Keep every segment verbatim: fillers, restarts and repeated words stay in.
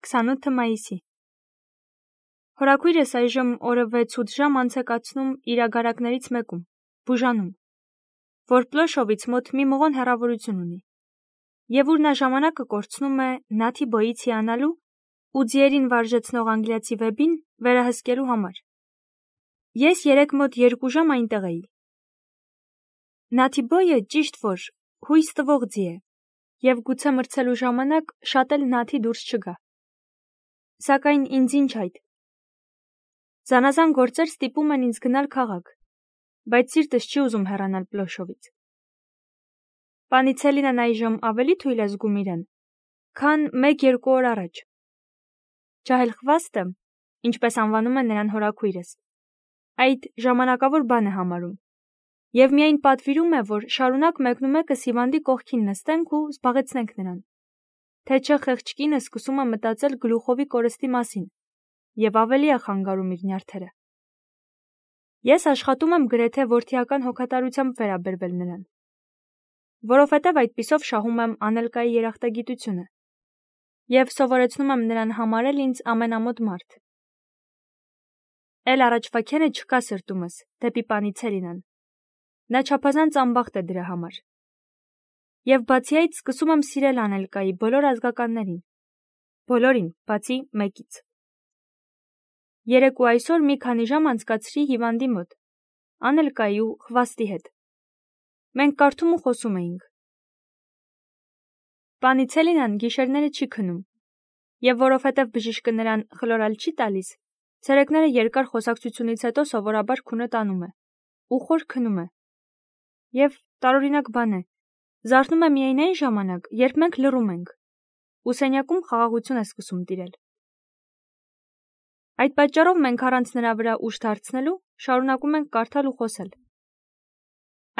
քսանութը մայիսի Հորաքույրս այժմ օրը վեց-ութ ժամ անց է կացնում իր ագարակներից մեկում, բուժանում, որ Պլոշովից մոտ մի մղոն հեռավորություն ունի, և ուր նա ժամանակը կորցնում է Նաթի բոյից հիանալու ու ձիերին վարժեցնող անգլիացի վեբին վերահսկելու համար։ Ես երեկ մոտ երկու ժամ այնտեղ էի։ Նաթի բոյը ճիշտ որ հույս տվող ձի է, և գուցե մրցելու ժամանակ շատ էլ Նաթի դուրս չգա։ Սակայն ինձ ինչ այդ։ Զանազան գործեր ստիպում են ինձ գնալ քաղաք, բայց սիրտս չի ուզում հեռանալ Պլոշովից։ Պանիցելինան այժմ ավելի թույլ է զգում իրեն, քան մեկ-երկու օր առաջ։ Ջահելխվաստը, ինչպես անվանում է նրան հորաքույրս, այդ ժամանակավոր բան է համարում, և միայն պատվիրում է, որ շարունակ մեկնումեկս հիվանդի կողքին նստենք ու զբաղեցնենք նրան, թե չէ խեղճ կինը սկսում է մտածել գլուխովի կորստի մասին և ավելի է խանգարում իր նյարդերը։ Ես աշխատում եմ գրեթե որդիական հոգատարությամբ վերաբերվել նրան, որովհետև այդպիսով շահում եմ Անելկայի երախտագիտությունը և սովորեցնում եմ նրան համարել ինձ ամենամոտ մարդ։ Էլ առաջվա քերը չկա սրտումս դեպի Պանիցելինան, նա չափազանց անբախտ է դրա համար։ Եվ բացի այդ սկսում եմ սիրել Անելկայի բոլոր ազգականներին, բոլորին, բացի մեկից։ Երեկ ու այսօր մի քանի ժամ անցկացրի հիվանդի մոտ, Անելկայի ու Խվաստի հետ։ Մենք կարդում ու խոսում էինք։ Պանիցելինան գիշերները չի քնում, և որովհետև բժիշկը նրան խլորալ չի տալիս, ցերեկները երկար խոսակցությունից հետո սովորաբար քունը տանում է ու խոր քնում է։ Եվ տարօրինակ բան է, զարթնում է միայն այն ժամանակ, երբ մենք լռում ենք, ու սենյակում խաղաղություն է սկսում տիրել։ Այդ պատճառով մենք առանց նրա վրա ուժ դարձնելու շարունակում ենք կարդալ ու խոսել։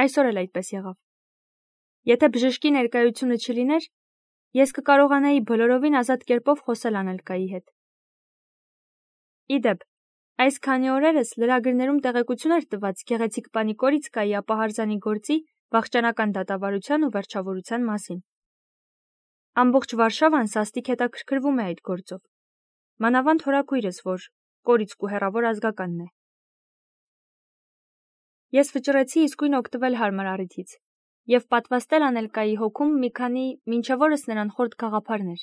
Այսօր էլ այդպես եղավ։ Եթե բժշկի ներկայությունը չլիներ, ես կկարողանայի բոլորովին ազատ կերպով խոսել Անելկայի հետ։ Ի դեպ, այս քանի օրերս լրագրներում տեղեկություն էր տված գեղեցիկ Պանիկորիցկայի ապահարզանի գործի վախճանական դատավարության ու վերջավորության մասին։ Ամբողջ Վարշավան սաստիկ հետաքրքրվում է այդ գործով, մանավանդ հորաքույրս, որ Կորիցկու հեռավոր ազգականն է։ Ես վճռեցի իսկույն օգտվել հարմար առիթից և պատվաստել Անելկայի հոգում մի քանի մինչև օրս նրան խորտ գաղափարներ։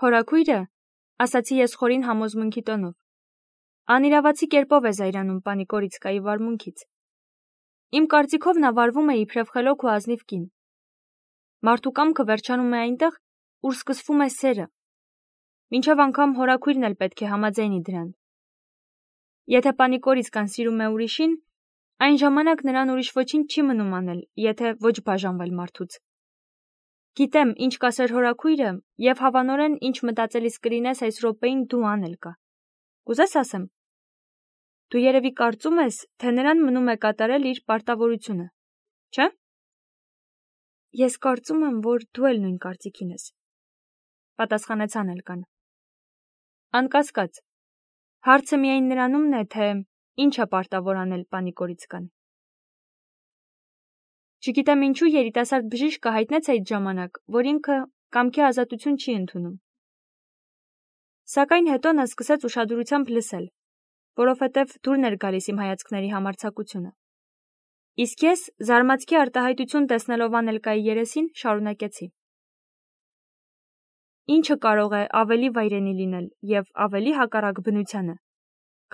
Հորաքույրը, ասացի ես խորին համոզմունքի տոնով, անիրավացի կերպով է զայրանում Պանիկորիցկայի վարմունքից։ Իմ կարծիքով նա վարվում է իբրև խելոք ու ազնիվ կին։ Մարդու կամքը վերջանում է այնտեղ, ուր սկսվում է սերը, մինչև անգամ հորաքույրն էլ պետք է համաձայնի դրան։ Եթե Պանիկորիցկան սիրում է ուրիշին, այն ժամանակ նրան ուրիշ ոչինչ չի մնում անել, եթե ոչ բաժանվել մարդուց։ Գիտեմ, ինչ կասեր հորաքույրը, և հավանորեն ինչ մտածելիս կլինես այս րոպեին դու Անելկա։ Կուզես ասեմ։ Դու երևի կարծում ես, թե նրան մնում է կատարել իր պարտավորությունը, չէ՞։ Ես կարծում եմ, որ դու էլ նույն կարծիքին ես, պատասխանեց Անելկան։ Անկասկած, հարցը միայն նրանումն է, թե ինչ է պարտավոր անել Պանիկորիցկան։ Չգիտեմ ինչու երիտասարդ բժիշկը հայտնեց այդ ժամանակ, որ ինքը կամքի ազատություն չի ընդունում։ Սակայն հետո նա սկսեց ուշադրությամբ լսել, որովհետև դուրն էր գալիս իմ հայացքների համարձակությունը։ Իսկ ես, զարմացքի արտահայտություն տեսնելով Անելկայի երեսին, շարունակեցի. Ինչը կարող է ավելի վայրենի լինել և ավելի հակառակ բնությանը,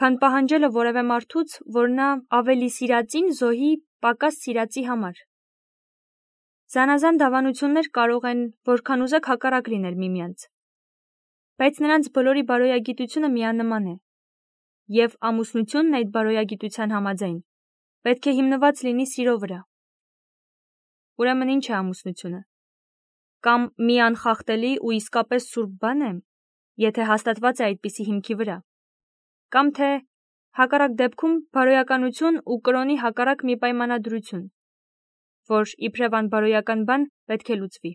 քան պահանջելը որևէ մարդուց, որ նա ավելի սիրածին զոհի պակաս սիրածի համար։ Զանազան դավանություններ կարող են որքան ուզեք հակառակ լինել միմյանց, բայց նրանց բոլորի բարոյագիտությունը միանման է, և ամուսնությունն այդ բարոյագիտության համաձայն պետք է հիմնված լինի սիրո վրա։ Ուրեմն ինչ է ամուսնությունը։ Կամ մի անխախտելի ու իսկապես սուրբ բան է, եթե հաստատված է այդպիսի հիմքի վրա, կամ թե հակառակ դեպքում բարոյականություն ու կրոնի հակառակ մի պայմանադրություն, որ իբրև անբարոյական բան պետք է լուծվի։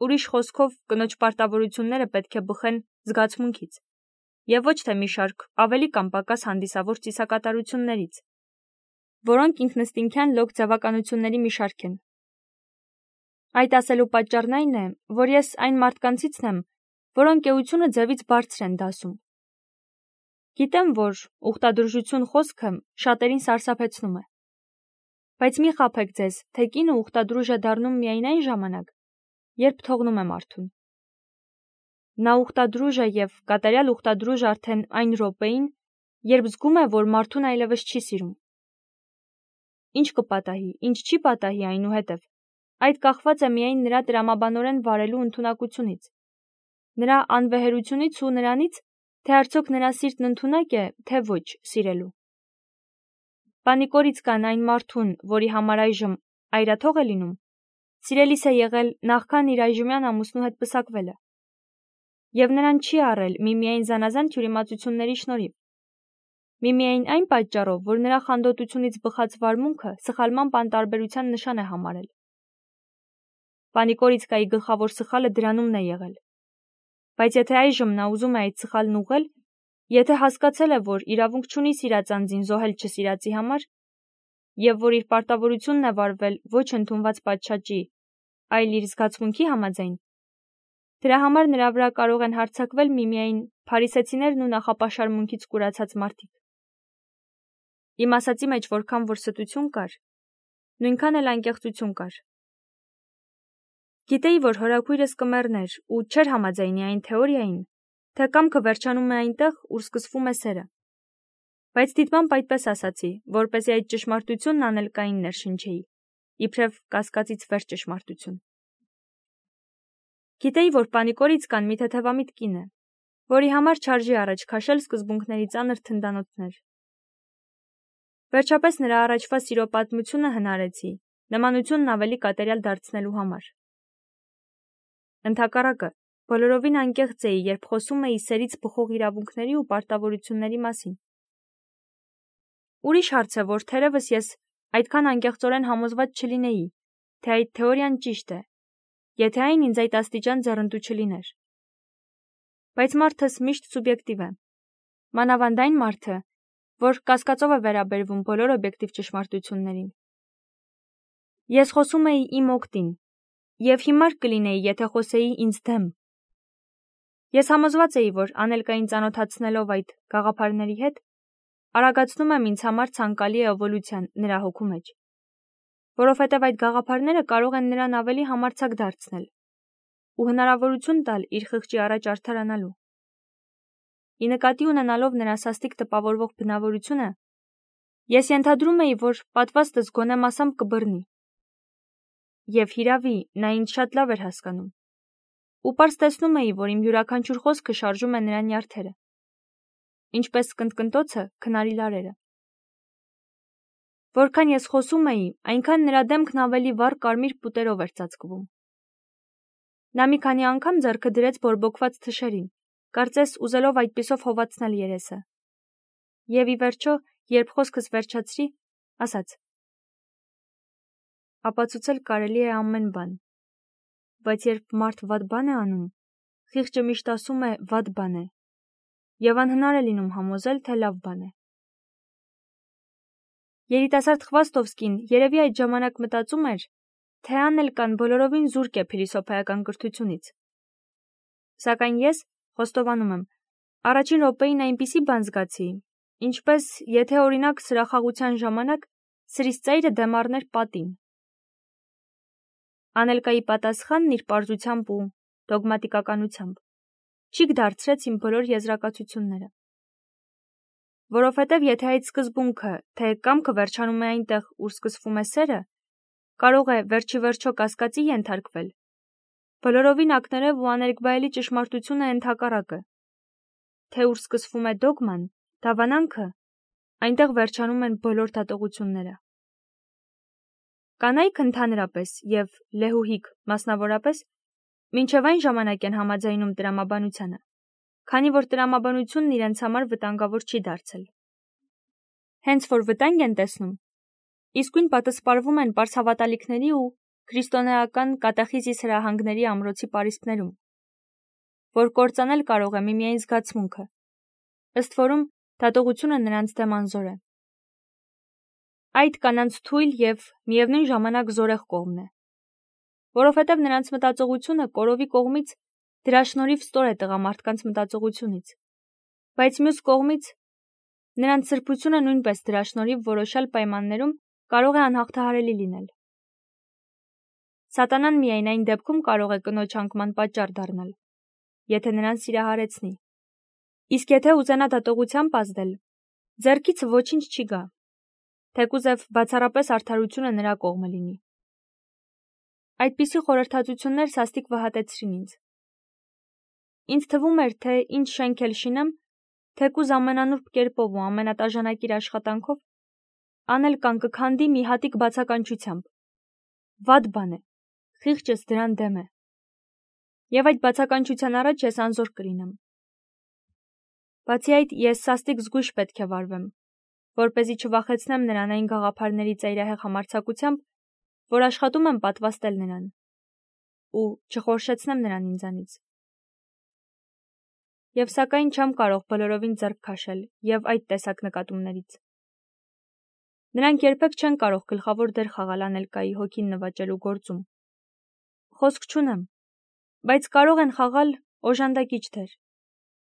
Ուրիշ խոսքով, կնոջ պարտավորությունները պետք է բխեն զգացմունքից, և ոչ թե մի շարք ավելի կամ պակաս հանդիսավոր ծիսակատարություններից, որոնք ինքնըստինքյան լոկ ձավականությունների մի շարք են։ Այդ ասելու պատճառն այն է, որ ես այն մարդկանցիցն եմ, որոնք էությունը ձևից բարձր են դասում։ Գիտեմ, որ ուխտադրժություն խոսքը շատերին սարսափեցնում է։ Բայց մի խաբեք ձեզ, թե կինը ուխտադրուժ է դառնում միայն այն ժամանակ, երբ թողնում է մարդուն։ Նա ուխտադրուժ է և կատարյալ ուխտադրուժ արդեն այն րոպեին, երբ զգում է, որ մարդուն այլևս չի սիրում։ Ինչ կպատահի, ինչ չի պատահի այնուհետև, այդ կախված է միայն նրա տրամաբանորեն վարելու ընդունակությունից, նրա անվեհերությունից ու նրանից, թե արդյոք նրա սիրտն ընդունակ է, թե ոչ սիրելու։ Պանիկորից կան այն մարդուն, որի համար այժմ այրաթող է լինում, սիրելիս է եղել նախքան իր այժմյան ամուսնու հետ պսակվելը, և նրան չի առել միմիայն զանազան թյուրիմացությունների շնորհիվ, միմիայն այն պատճառով, որ նրա խանդոտությունից բխած վարմունքը սխալման պանտարբերության նշան է համարել։ Պանիկորիցկայի գլխավոր սխալը դրանումն է եղել։ Բայց եթե այժմ նա ուզում է այդ սխալն ուղղել, եթե հասկացել է, որ իրավունք չունի սիրած անձին զոհել չսիրածի համար, և որ իր պարտավորությունն է վարվել ոչ ընդունված պատշաճի, այլ իր զգացմունքի համաձայն, դրա համար նրա վրա կարող են հարձակվել միմիայն փարիսեցիներն ու նախապաշարմունքից կուրացած մարդիկ։ Իմ ասածի մեջ որքան որ ստություն կար, նույնքան էլ անկեղծություն կար։ Գիտեի, որ հորաքույրս կմեռներ ու չէր համաձայնի այն թեորիային, թե կամքը վերջանում է այնտեղ, ուր սկսվում է սերը։ Բայց դիտմամբ այդպես ասացի, որպեսզի այդ ճշմարտությունն անելկային ներշնչեի, իբրև կասկածից վեր ճշմարտություն։ Գիտեի, որ Պանիկորիցկան մի թեթևամիտ կին է, որի համար չարժի առաջ քաշել սկզբունքների ծանր թնդանոթներ։ Վերջապես նրա առաջվա սիրո պատմությունը հնարեցի, նմանությունն ավելի կատարյալ դարձնելու համար։ Ընդհակառակը, բոլորովին անկեղծ էի, երբ խոսում էի սերից բխող իրավունքների ու պարտավորությունների մասին։ Ուրիշ հարց է, որ թերևս ես այդքան անկեղծորեն համոզված չլինեի, թե այդ թեորիան ճիշտ է, եթե այն ինձ այդ աստիճան ձեռնտու չլիներ։ Բայց մարդս միշտ սուբյեկտիվ է, մանավանդ այն մարդը, որ կասկածով է վերաբերվում բոլոր օբյեկտիվ ճշմարտություններին։ Ես խոսում էի իմ օգտին, և հիմար կլինեի, եթե խոսեի ինձ դեմ։ Ես համոզված էի, որ անելկային ծանոթացնելով այդ գաղափարների հետ, արագացնում եմ ինձ համար ցանկալի էվոլյուցիան նրա հոգու մեջ, որովհետև այդ գաղափարները կարող են նրան ավելի համարձակ դարձնել ու հնարավորություն տալ իր խղճի առաջ արդարանալու։ Ի նկատի ունենալով նրա սաստիկ տպավորվող բնավորությունը, ես ենթադրում էի, որ պատվաստս գոնե մասամբ կբռնի։ Եվ հիրավի, նա ինձ շատ լավ էր հասկանում, ու պարզ տեսնում էի, որ իմ յուրաքանչյուր խոսքը շարժում է նրա նյարդերը, ինչպես կնտկնտոցը քնարի լարերը։ Որքան ես խոսում էի, այնքան նրա դեմքն ավելի վառ կարմիր պուտերով էր ծածկվում։ Նա մի քանի անգամ ձեռքը դրեց բորբոքված թշերին, կարծես ուզելով այդպիսով հովացնել երեսը։ Եվ ի վերջո, երբ խոսքս վերջացրի, ասաց. ապացուցել կարելի է ամեն բան, բայց երբ մարդ վատ բան է անում, խիղճը միշտ ասում է վատ բան է, և անհնար է լինում համոզել, թե լավ բան է։ Երիտասարդ Խվաստովսկին երևի այդ ժամանակ մտածում էր, թե Անելկան բոլորովին զուրկ է փիլիսոփայական կրթությունից։ Սակայն ես, խոստովանում եմ, առաջին րոպեին այնպիսի բան զգացի, ինչպես եթե օրինակ սրախաղության ժամանակ սրից ծայրը դեմ առներ պատին։ Անելկայի պատասխանն իր պարզությամբ ու դոգմատիկականությամբ չիկ դարձրեց իմ բոլոր եզրակացությունները։ Որովհետև եթե այդ սկզբունքը, թե կամքը վերջանում է այնտեղ, ուր սկսվում է սերը, կարող է վերջի վերջո կասկածի ենթարկվել, բոլորովին ակներև ու աներկբայելի ճշմարտությունը ընդհակառակը, թե ուր սկսվում է դոգման, դավանանքը, այնտեղ վերջանում են բոլոր դատողությունները։ Կանայք ընդհանրապես և լեհուհիք մասնավորապես մինչև այն ժամանակ են համաձայնում տրամաբանությանը, քանի որ տրամաբանությունն իրենց համար վտանգավոր չի դարձել։ Հենց որ վտանգ են տեսնում, իսկույն պատսպարվում են պարսհավատալիքների ու քրիստոնեական կատեխիզիս հրահանգների ամրոցի պարիսպներում, որ կործանել կարող է միմիայն զգացմունքը, ըստ որում դատողությունը նրանց դեմ անզոր է։ Այդ կանանց թույլ և միևնույն ժամանակ զորեղ կողմն է, որովհետև նրանց մտածողությունը կորովի կողմից դրա շնորհիվ ստոր է տղամարդկանց մտածողությունից, բայց մյուս կողմից նրանց սրբությունը նույնպես դրա շնորհիվ որոշյալ պայմաններում կարող է անհաղթահարելի լինել։ Սատանան միայն այն դեպքում կարող է կնոջ անկման պատճառ դառնալ, եթե նրան սիրահարեցնի, իսկ եթե ուզենա դատողությամբ ազդել, ձեռքից ոչինչ չի գա, թեկուզև բացառապես արդարությունը նրա կողմը լինի։ Այդպիսի խորհրդածություններ սաստիկ վհատեցրին ինձ։ Ինձ թվում էր, թե ինչ շենք էլ շինեմ, թեկուզ ամենանուրբ կերպով ու ամենատաժանակիր աշխատանքով, անել կան կքանդի մի հատիկ բացականչությամբ։ Վատ բան է, խիղճս դրան դեմ է։ Եվ այդ բացականչության առաջ ես անզոր կլինեմ։ Բացի այդ, ես սաստիկ զգույշ պետք է վարվեմ, որպեսզի չվախեցնեմ նրան այն գաղափարների ծայրահեղ համարձակությամբ, որ աշխատում եմ պատվաստել նրան, ու չխորշեցնեմ նրան ինձանից։ Եվ սակայն չեմ կարող բոլորովին ձեռք քաշել և այդ տեսակ նկատումներից։ Նրանք երբեք չեն կարող գլխավոր դեր խաղալ Անելկայի հոգին նվաճելու գործում։ Խոսք չունեմ, բայց կարող են խաղալ օժանդակիչ դեր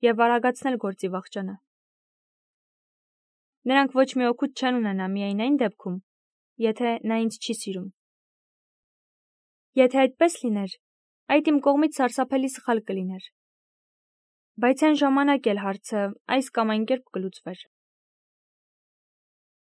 և արագացնել գործի վախճանը։ Նրանք ոչ մի օգուտ չեն ունենա միայն այն դեպքում, եթե նա ինձ չի սիրում։ Եթե այդպես լիներ, այդ իմ կողմից սարսափելի սխալ կլիներ, բայց այն ժամանակ էլ հարցը այս կամ այն կերպ կլուծվեր։